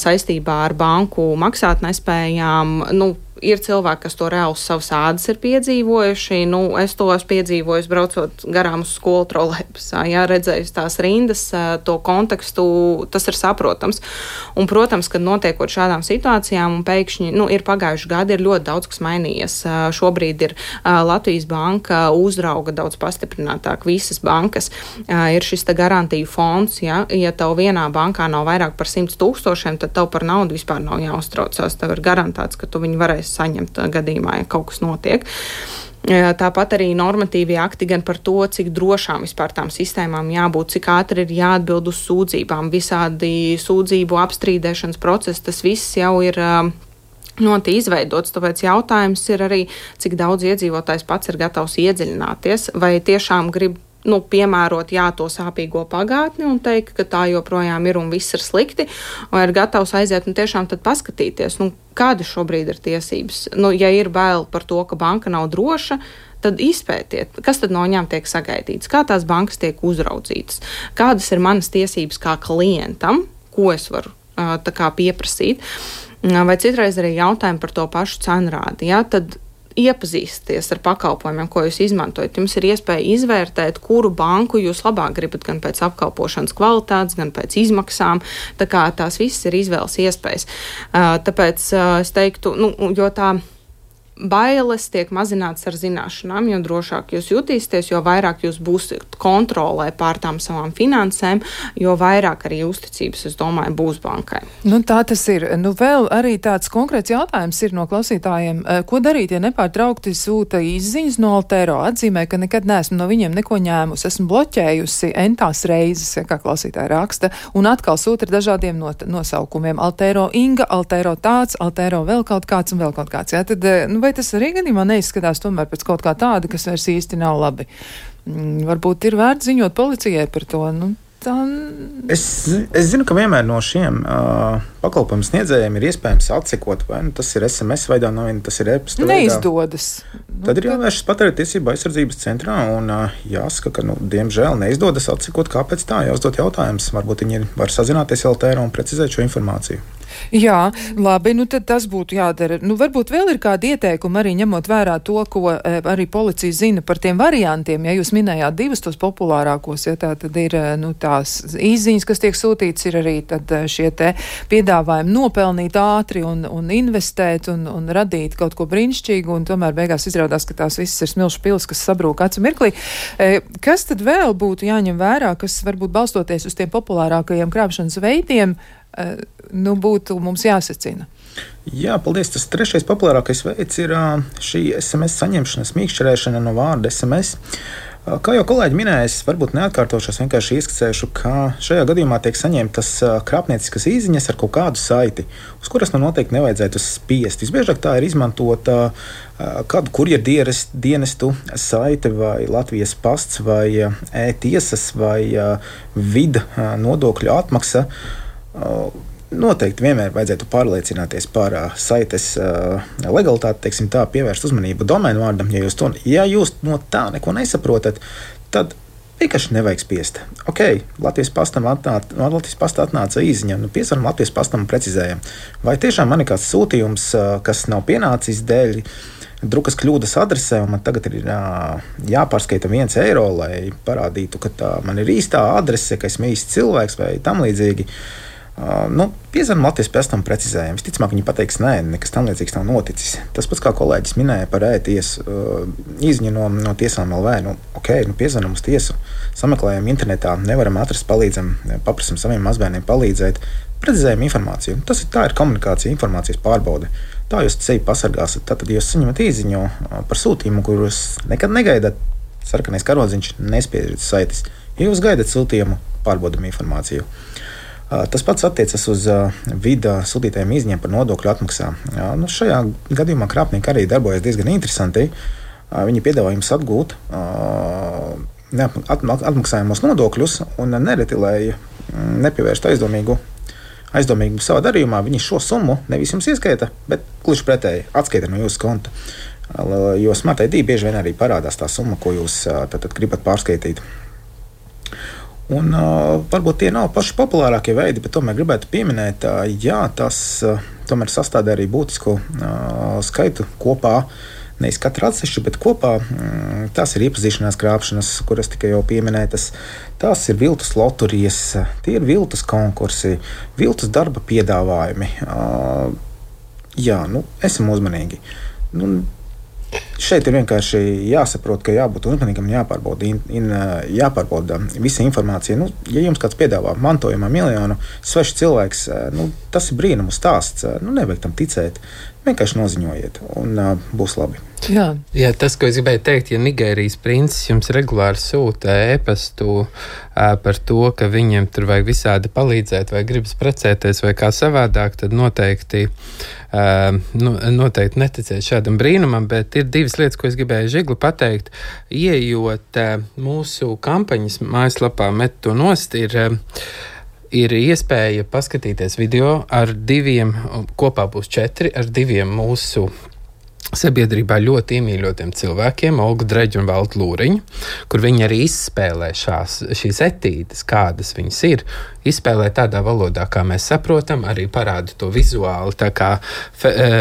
saistībā ar banku maksātnespējām. Ir cilvēki, kas to reāli uz savas ādas ir piedzīvojuši. Es to esmu piedzīvojis, braucot garām uz skolu trolejbusā. Redzējis tās rindas, to kontekstu, tas ir saprotams. Un, protams, kad notiekot šādām situācijām, un pēkšņi, ir pagājuši gadi, ir ļoti daudz, kas mainījies. Šobrīd ir Latvijas banka uzrauga daudz pastiprinātāk visas bankas. Ir šis garantiju fonds, ja tev vienā bankā nav vairāk par 100 000, tad tev par naudu vispār nav jāuztraucās. Tev ir garantēts, ka tu viņu varēsi saņemt gadījumā, ja kaut kas notiek. Tāpat arī normatīvie akti gan par to, cik drošām vispār tām sistēmām jābūt, cik ātri ir jāatbild uz sūdzībām, visādi sūdzību apstrīdēšanas procesi, tas viss jau ir ļoti izveidots, tāpēc jautājums ir arī, cik daudz iedzīvotājs pats ir gatavs iedziļināties, vai tiešām grib piemērot to sāpīgo pagātni un teikt, ka tā joprojām ir un viss ir slikti, vai ir gatavs aiziet un tiešām tad paskatīties, kāda šobrīd ir tiesības. Ja ir bail par to, ka banka nav droša, tad izpētiet, kas tad no viņām tiek sagaidīts, kā tās bankas tiek uzraudzītas, kādas ir manas tiesības kā klientam, ko es varu pieprasīt, vai citreiz arī jautājumi par to pašu cenrādi. Tad iepazīsties ar pakalpojumiem, ko jūs izmantojat. Jums ir iespēja izvērtēt, kuru banku jūs labāk gribat, gan pēc apkalpošanas kvalitātes, gan pēc izmaksām. Tā kā tās visas ir izvēles iespējas. Tāpēc es teiktu, jo tā bailes tiek mazināts ar zināšanām, jo drošāk jūs jutīsieties, jo vairāk jūs būsiet kontrolē pār tām savām finansēm, jo vairāk arī uzticības, es domāju, būs bankai. Tā tas ir. Vēl arī tāds konkrēts jautājums ir no klausītājiem. Ko darīt, ja nepārtraukti sūta izziņas no Altero? Atzīmē, ka nekad neesmu no viņiem neko ņēmusi. Esmu bloķējusi entās reizes, kā klausītāji raksta, un atkal sūta ar dažādiem nosaukumiem. Altero Inga, Altero tāds, Altero vēl kaut kāds un vēl kaut kāds. Tad, vai tas arī gadījumā neizskatās tomēr pēc kaut kā tāda, kas vairs īsti nav labi? Varbūt ir vērts ziņot policijai par to. Es zinu, ka vienmēr no šiem pakalpojumu sniedzējiem ir iespējams atsekot, vai tas ir SMS veidā, vai tas ir e-pasta veidā. Neizdodas. Tad ir jāvēršas patērētiesību aizsardzības centrā un jāsaka, ka, diemžēl, neizdodas atsekot, kāpēc tā, jāuzdot jautājums. Varbūt viņi var sazināties Altero un precizēt šo informāciju. Jā, labi, tad tas būtu jādara. Varbūt vēl ir kādi ieteikumi arī ņemot vērā to, ko arī policija zina par tiem variantiem. Ja jūs minējāt divus tos populārākos, ja tā tad ir tās izziņas, kas tiek sūtīts, ir arī tad šie te piedāvājumi nopelnīt ātri un investēt un radīt kaut ko brīnišķīgu, un tomēr beigās izrādās, ka tās visas ir smilšu pils, kas sabrūk acu mirklī. Kas tad vēl būtu jāņem vērā, kas varbūt balstoties uz tiem populārākajiem krāpšanas veidiem, būtu mums jāsacina? Jā, paldies. Tas trešais populārākais veids ir šī SMS saņemšana, smīkšķerēšana no vārda SMS. Kā jau kolēģi minēja, varbūt neatkārtošos, vienkārši ieskicēšu, ka šajā gadījumā tiek saņemtas krāpnieciskas īziņas ar kaut kādu saiti, uz kuras noteikti nevajadzētu spiest. Visbiežāk tā ir izmantota kādu kurjerdienestu saite vai Latvijas pasts vai e-tiesas vai vida nodokļu atmaksa. Noteikti vienmēr vajadzētu pārliecināties par saites legalitāti, teiksim tā, pievērst uzmanību domēnu vārdam. Ja jūs no tā neko nesaprotat, tad vienkārši nevajag spiest. Ok, Latvijas pasta atnāca īziņa, piesvaram Latvijas pastam un precizējam. Vai tiešām man ir kāds sūtījums, kas nav pienācis dēļ drukas kļūdas adresē, un man tagad ir jāpārskaita 1 eiro, lai parādītu, ka tā man ir īstā adrese, ka esmu īsts cilvēks vai tam līdzīgi. Piezvanām Latvijas pastam precizējam. Visticamāk, viņi pateiks, nē, nekas tam līdzīgs nav noticis. Tas pats, kā kolēģis minēja par e-tiesu īziņu no tiesām LV. Piezvanām uz tiesu, sameklējam internetā, nevaram atrast, palīdzam, paprasam saviem mazbērniem palīdzēt, precizējam informāciju. Tā ir komunikācija, informācijas pārbaude. Tā jūs sevi pasargāsiet. Tad, ja jūs saņemat īziņu par sūtījumu, kurus nekad negaidat, sarkanais karodziņš nespiežat saites. Ja jūs gaidat sūtījumu, pārbaudam informāciju. Tas pats attiecas uz vida sūtītajiem īziņiem par nodokļu atmaksām. Šajā gadījumā krāpnieki arī darbojas diezgan interesanti. Viņi piedāvā jums atgūt atmaksājumos nodokļus un nereti, lai nepievērstu aizdomīgu savā darījumā, viņi šo summu nevis jums ieskaita, bet gluži pretēji atskaita no jūsu konta. Jo Smart ID bieži vien arī parādās tā summa, ko jūs tad gribat pārskaitīt. Un, varbūt tie nav paši populārākie veidi, bet tomēr gribētu pieminēt, tas tomēr sastāv arī būtisku skaitu kopā. Nevis katra atsevišķi, bet kopā tās ir iepazīšanās krāpšanas, kuras tikai jau pieminētas. Tās ir viltus loterijas, tie ir viltus konkursi, viltus darba piedāvājumi. Esam uzmanīgi. Šeit ir vienkārši jāsaprot, ka jābūt uzmanīgam, jāpārbauda visa informācija. Ja jums kāds piedāvā mantojumā miljonu, svešs cilvēks, tas ir brīnumu stāsts. Nevajag tam ticēt. Vienkārši noziņojiet, un būs labi. Jā, tas, ko es gribēju teikt, ja Nigērijas princis jums regulāri sūta ēpastu par to, ka viņiem tur vajag visādi palīdzēt, vai gribas precēties, vai kā savādāk, tad noteikti neticēt šādam brīnumam, bet ir 2 lietas, ko es gribēju Žigli pateikt. Ieejot mūsu kampaņas mājaslapā Met to nost, ir iespēja paskatīties video ar 2, kopā būs 4, ar 2 mūsu sabiedrībā ļoti iemīļotiem cilvēkiem, Olgu Dreģu un Valdu Lūriņu, kur viņi arī izspēlē šīs etīdes, kādas viņas ir, izspēlē tādā valodā, kā mēs saprotam, arī parāda to vizuāli, tā kā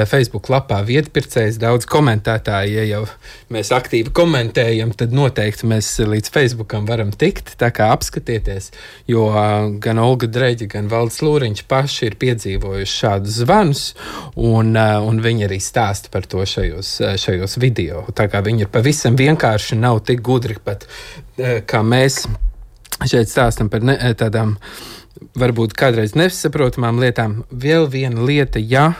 Facebook lapā vietpircējs daudz komentētāji, ja jau mēs aktīvi komentējam, tad noteikti mēs līdz Facebookam varam tikt, tā kā apskatieties, jo gan Olga Dreģa, gan Valds Lūriņš paši ir piedzīvojuši šādus zvanus, un viņi arī stāsta par to šajos video. Tā kā viņi ir pavisam vienkārši, nav tik gudri pat, kā mēs šeit stāstam par tādām varbūt kādreiz nesaprotamām lietām. Vēl viena lieta, ja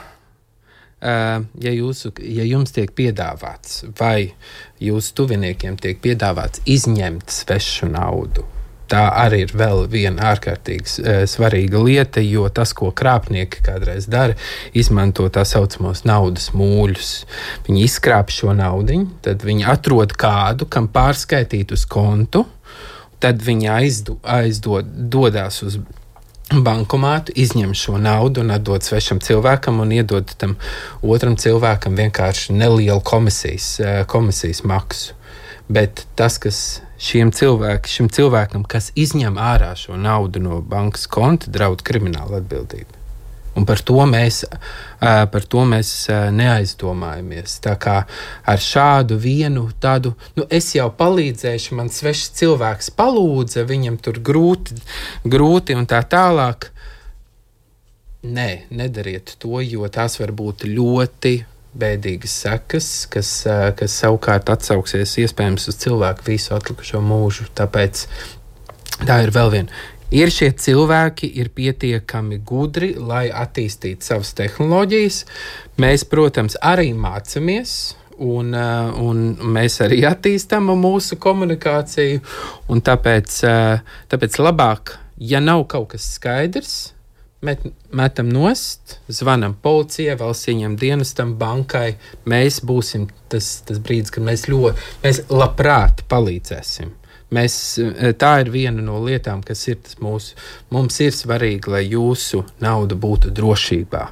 jums tiek piedāvāts vai jūsu tuviniekiem tiek piedāvāts izņemt svešu naudu, tā arī ir vēl viena ārkārtīgi svarīga lieta, jo tas, ko krāpnieki kādreiz dara, izmanto tā saucamos naudas mūļus. Viņi izkrāp šo naudiņu, tad viņi atrod kādu, kam pārskaitīt uz kontu, tad viņi dodās uz bankomātu, izņem šo naudu un atdod svešam cilvēkam un iedod tam otram cilvēkam vienkārši nelielu komisijas maksu. Bet tas, kas šim cilvēkam, kas izņem ārā šo naudu no bankas konta, draud krimināla atbildība. Un par to mēs neaizdomājamies. Tā kā ar šādu vienu tādu, es jau palīdzēšu, man svešs cilvēks palūdza, viņam tur grūti un tā tālāk. Nē, nedariet to, jo tās var būt ļoti bēdīgas sekas, kas savukārt atsauksies iespējams uz cilvēku visu atlikušo mūžu. Tāpēc tā ir vēl viena. Ir šie cilvēki, ir pietiekami gudri, lai attīstītu savas tehnoloģijas. Mēs, protams, arī mācāmies un mēs arī attīstām mūsu komunikāciju. Tāpēc labāk, ja nav kaut kas skaidrs, metam nost, zvanam policijai, valsts ieņem dienestam, bankai. Mēs būsim tas brīdis, kad mēs labprāt palīdzēsim. Tā ir viena no lietām, kas ir mums ir svarīgi, lai jūsu nauda būtu drošībā.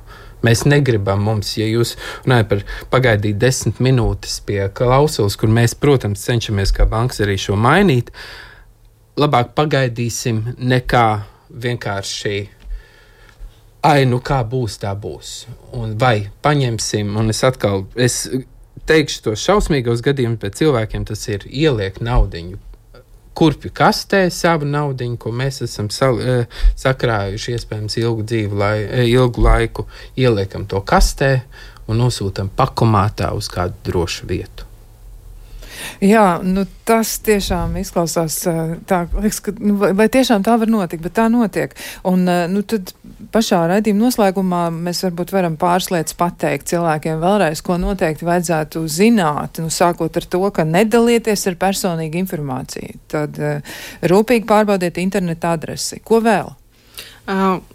Mēs negribam ja jūs runājat par pagaidīt 10 minūtes pie klausulas, kur mēs, protams, cenšamies kā bankas arī šo mainīt, labāk pagaidīsim nekā vienkārši kā būs, tā būs. Vai paņemsim, un es teikšu tos šausmīgos gadījumus, bet cilvēkiem tas ir ieliek naudiņu kurpju kastē savu naudiņu, ko mēs esam sakrājuši iespējams ilgu laiku, ieliekam to kastē un nosūtam pakomātā uz kādu drošu vietu. Jā, tas tiešām izklausās tā, liekas, ka, vai tiešām tā var notikt, bet tā notiek. Un, tad pašā raidījuma noslēgumā mēs varbūt varam pāris lietas pateikt cilvēkiem vēlreiz, ko noteikti vajadzētu zināt, sākot ar to, ka nedalieties ar personīgu informāciju. Tad rūpīgi pārbaudiet interneta adresi. Ko vēl?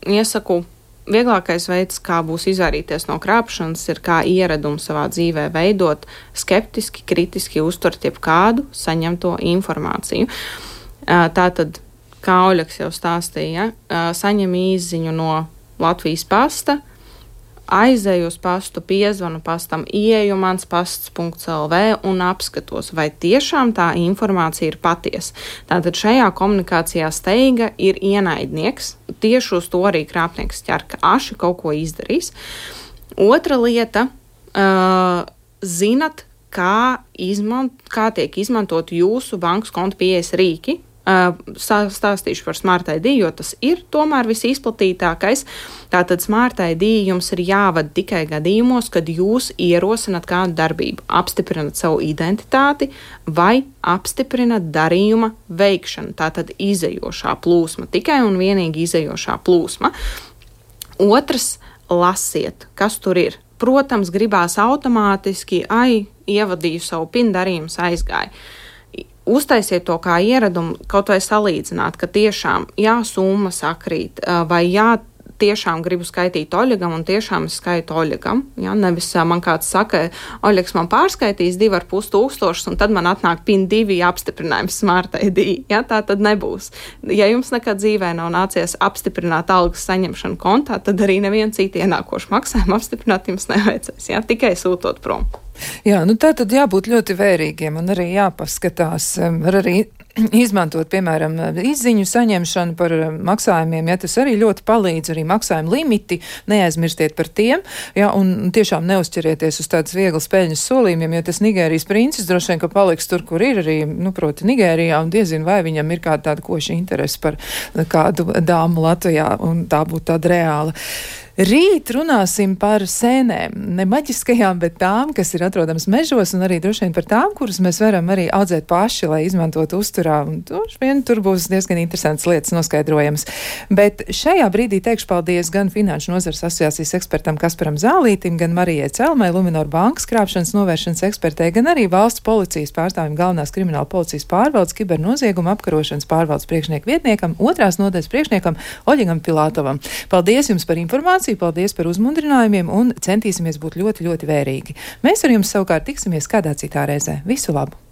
Iesaku. Vieglākais veids, kā būs izvairīties no krāpšanas, ir kā ieradumu savā dzīvē veidot skeptiski, kritiski uztvert jebkādu saņemto informāciju. Tātad, kā Oļegs jau stāstīja, saņem īsziņu no Latvijas pasta, aizēju uz pastu, piezvanu pastam, ieeju mans pasts.lv un apskatos, vai tiešām tā informācija ir patiesa. Tātad šajā komunikācijā steiga ir ienaidnieks, tieši uz to arī krāpnieks ķer, ka aši kaut ko izdarīs. Otra lieta, zinat, kā tiek izmantot jūsu bankas konta pieejas rīki. Stāstīšu par Smart ID, jo tas ir tomēr visizplatītākais. Tātad Smart ID jums ir jāvada tikai gadījumos, kad jūs ierosinat kādu darbību, apstiprinat savu identitāti vai apstiprinat darījuma veikšanu. Tātad izejošā plūsma, tikai un vienīgi izejošā plūsma. Otrs, lasiet, kas tur ir. Protams, gribās automātiski, ievadīju savu PIN, darījums aizgāja. Uztaisiet to kā ieradumu, kaut vai salīdzināt, ka tiešām summa sakrīt, vai tiešām gribu skaitīt Oļegam un tiešām es skaitu Oļegam. Nevis man kāds saka, Oļegs man pārskaitīs 2,5 un tad man atnāk PIN 2 apstiprinājums Smart ID. Tā tad nebūs. Ja jums nekad dzīvē nav nācies apstiprināt algas saņemšanu kontā, tad arī nevienu citu ienākošu maksājumu apstiprināt jums nevajadzēs. Tikai sūtot prom. Jā, tā tad jābūt ļoti vērīgiem un arī jāpaskatās, var arī izmantot, piemēram, izziņu saņemšanu par maksājumiem, tas arī ļoti palīdz, arī maksājumu limiti, neaizmirstiet par tiem, un tiešām neuzķerieties uz tādas vieglas peļņas solījumiem, jo tas Nigērijas princis droši vien, ka paliks tur, kur ir arī, proti Nigērijā, un diezin vai viņam ir kāda tāda koša interese par kādu dāmu Latvijā, un tā būtu tāda reāla. Rīt runāsim par sēnēm, ne maģiskajām, bet tām, kas ir atrodamas mežos, un arī droši vien par tām, kuras mēs varam arī audzēt paši, lai izmantotu uzturā, un tur būs diezgan interesants lietas noskaidrojamas. Bet šajā brīdī teikšu paldies gan Finanšu nozares asociācijas ekspertam Kasparam Zālītim, gan Marijai Celmai, Luminor bankas krāpšanas novēršanas ekspertei, gan arī valsts policijas pārstāvim galvenās krimināla policijas pārvaldes kibernozieguma apkarošanas pārvaldes priekšnieku vietniekam, 2. nodaļas priekšniekam Oļegam Pilātovam. Paldies jums par informāciju! Paldies par uzmundrinājumiem un centīsimies būt ļoti, ļoti vērīgi. Mēs ar jums savukārt tiksimies kādā citā reizē. Visu labu!